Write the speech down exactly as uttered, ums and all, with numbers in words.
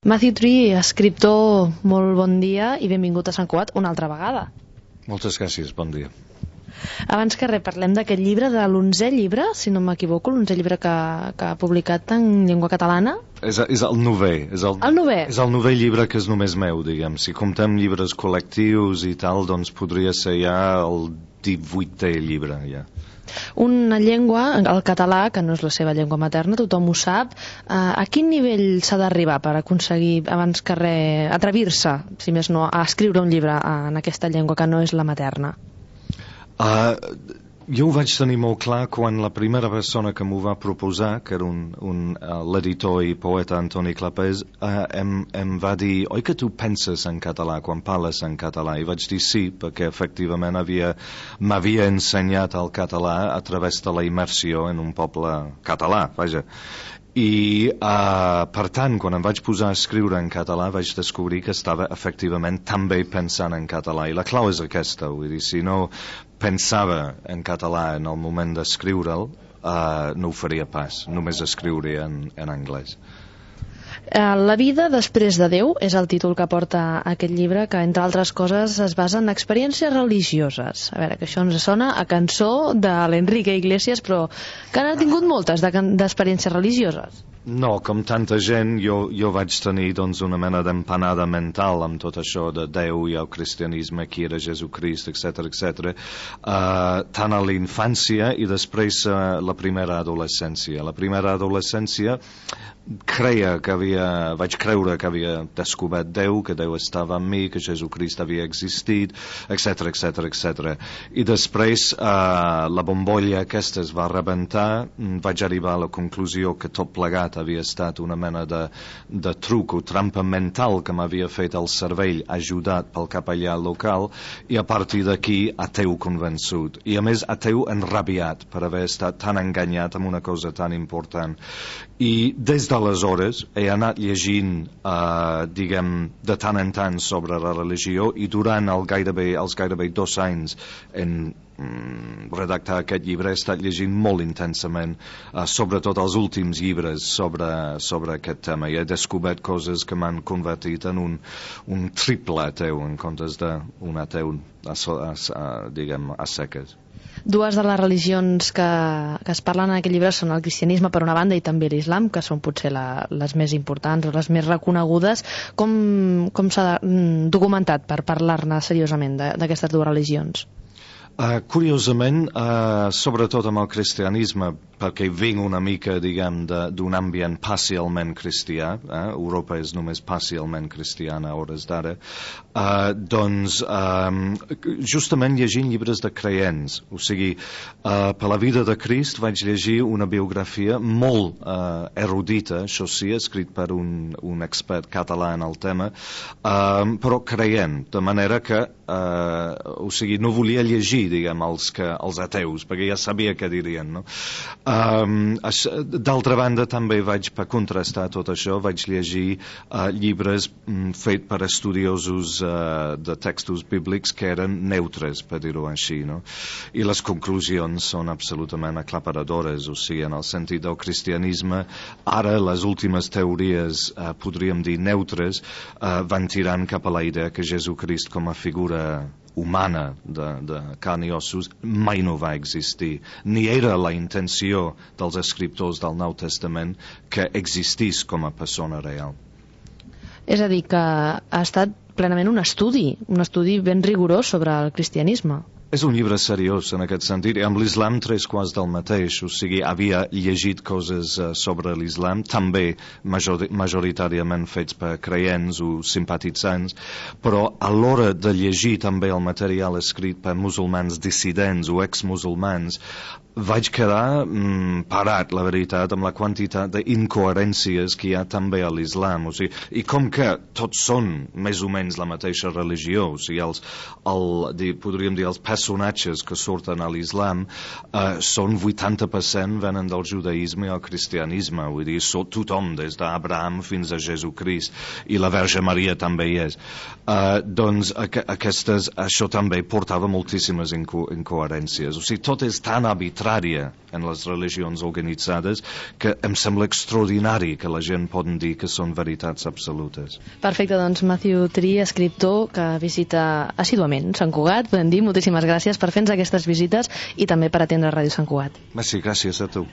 Matthew Tree, escriptor, molt bon dia i benvingut a Sant Cugat una altra vegada. Moltes gràcies, bon dia. Abans que res, parlem d'aquest llibre, de l'onzè llibre, si no m'equivoco, l'onzè llibre que, que ha publicat en llengua catalana. És, és el novè. És el, el novè? És el novè llibre que és només meu, diguem. Si comptem llibres col·lectius i tal, doncs podria ser ja el divuitè llibre, ja. Una llengua, el català, que no és la seva llengua materna, tothom ho sap. A quin nivell s'ha d'arribar per aconseguir, abans que res, atrevir-se, si més no, a escriure un llibre en aquesta llengua que no és la materna? Uh, jo ho vaig tenir molt clar quan la primera persona que m'ho va proposar, que era un, un, uh, l'editor i poeta Antoni Clapés, uh, em, em va dir, oi que tu penses en català quan parles en català? I vaig dir sí, perquè efectivament havia, m'havia ensenyat el català a través de la immersió en un poble català, vaja. I uh, per tant, quan em vaig posar a escriure en català vaig descobrir que estava efectivament també pensant en català, i la clau és aquesta, vull dir, si no pensava en català en el moment d'escriure'l, uh, no ho faria pas, només escriuria en, en anglès. La vida després de Déu és el títol que porta aquest llibre, que entre altres coses es basa en experiències religioses. A veure, que això ens sona a cançó de l'Enrique Iglesias, però que n'ha tingut moltes d'experiències religioses. No, com tanta gent, jo, jo vaig tenir doncs, una mena d'empanada mental amb tot això de Déu i el cristianisme, qui era Jesucrist, etcètera, etcètera, uh, tant a la infància i després uh, la primera adolescència. La primera adolescència creia que havia, vaig creure que havia descobert Déu, que Déu estava amb mi, que Jesucrist havia existit, etcètera, etcètera, etcètera. I després uh, la bombolla aquesta es va rebentar, vaig arribar a la conclusió que tot plegat havia estat una mena de, de truc o trampa mental que m'havia fet el cervell, ajudat pel capellà local, i a partir d'aquí ateu convençut. I a més ateu enrabiat per haver estat tan enganyat amb una cosa tan important. I des d'aleshores he anat llegint, eh, diguem, de tant en tant sobre la religió, i durant el gairebé, els gairebé dos anys en mm, redactar aquest llibre he estat llegint molt intensament, eh, sobretot els últims llibres sobre, sobre aquest tema, i he descobert coses que m'han convertit en un, un triple ateu en comptes d'un ateu a, a, a, diguem, a seques. Dues de les religions que, que es parlen en aquest llibre són el cristianisme per una banda i també l'islam, que són potser la, les més importants o les més reconegudes. Com, com s'ha documentat per parlar-ne seriosament d'aquestes dues religions? Uh, curiosament, uh, sobretot amb el cristianisme, perquè vinc una mica, diguem, d'un ambient parcialment cristià, eh? Europa és només parcialment cristiana a hores d'ara, uh, doncs um, justament llegint llibres de creients, o sigui, uh, per la vida de Crist vaig llegir una biografia molt uh, erudita, això sí, escrit per un, un expert català en el tema, uh, però creient, de manera que, uh, o sigui, no volia llegir, diguem, els, que, els ateus, perquè ja sabia què dirien, no? Um, d'altra banda, també vaig, per contrastar tot això, vaig llegir uh, llibres um, fet per estudiosos uh, de textos bíblics que eren neutres, per dir-ho així, no? I les conclusions són absolutament aclaparadores, o sigui, en el sentit del cristianisme, ara les últimes teories, uh, podríem dir neutres, uh, van tirant cap a la idea que Jesucrist com a figura humana de, de carn i ossos mai no va existir, ni era la intenció dels escriptors del Nou Testament que existís com a persona real. És a dir, que ha estat plenament un estudi, un estudi ben rigorós sobre el cristianisme. És un llibre seriós en aquest sentit, i amb l'islam tres quarts del mateix, o sigui, havia llegit coses uh, sobre l'islam, també major, majoritàriament fets per creients o simpatitzants, però a l'hora de llegir també el material escrit per musulmans dissidents o exmusulmans, vaig quedar mm, parat, la veritat, amb la quantitat d'incoherències que hi ha també a l'islam, o sigui, i com que tots són més o menys la mateixa religió, o sigui, els, el, di, podríem dir, els personatges que surten a l'islam uh, són vuitanta per cent venen del judaïsme o cristianisme, vull dir, so, tothom, des d'Abraham fins a Jesucrist, i la Verge Maria també hi és. Uh, doncs aqu aquestes, això també portava moltíssimes inco incoherències. O sigui, tot és tan arbitrària en les religions organitzades que em sembla extraordinari que la gent poden dir que són veritats absolutes. Perfecte, doncs Matthew Tree, escriptor que visita assíduament Sant Cugat, podem dir, moltíssimes gràcies per fer-nos aquestes visites i també per atendre Ràdio Sant Cugat. Merci, gràcies a tu.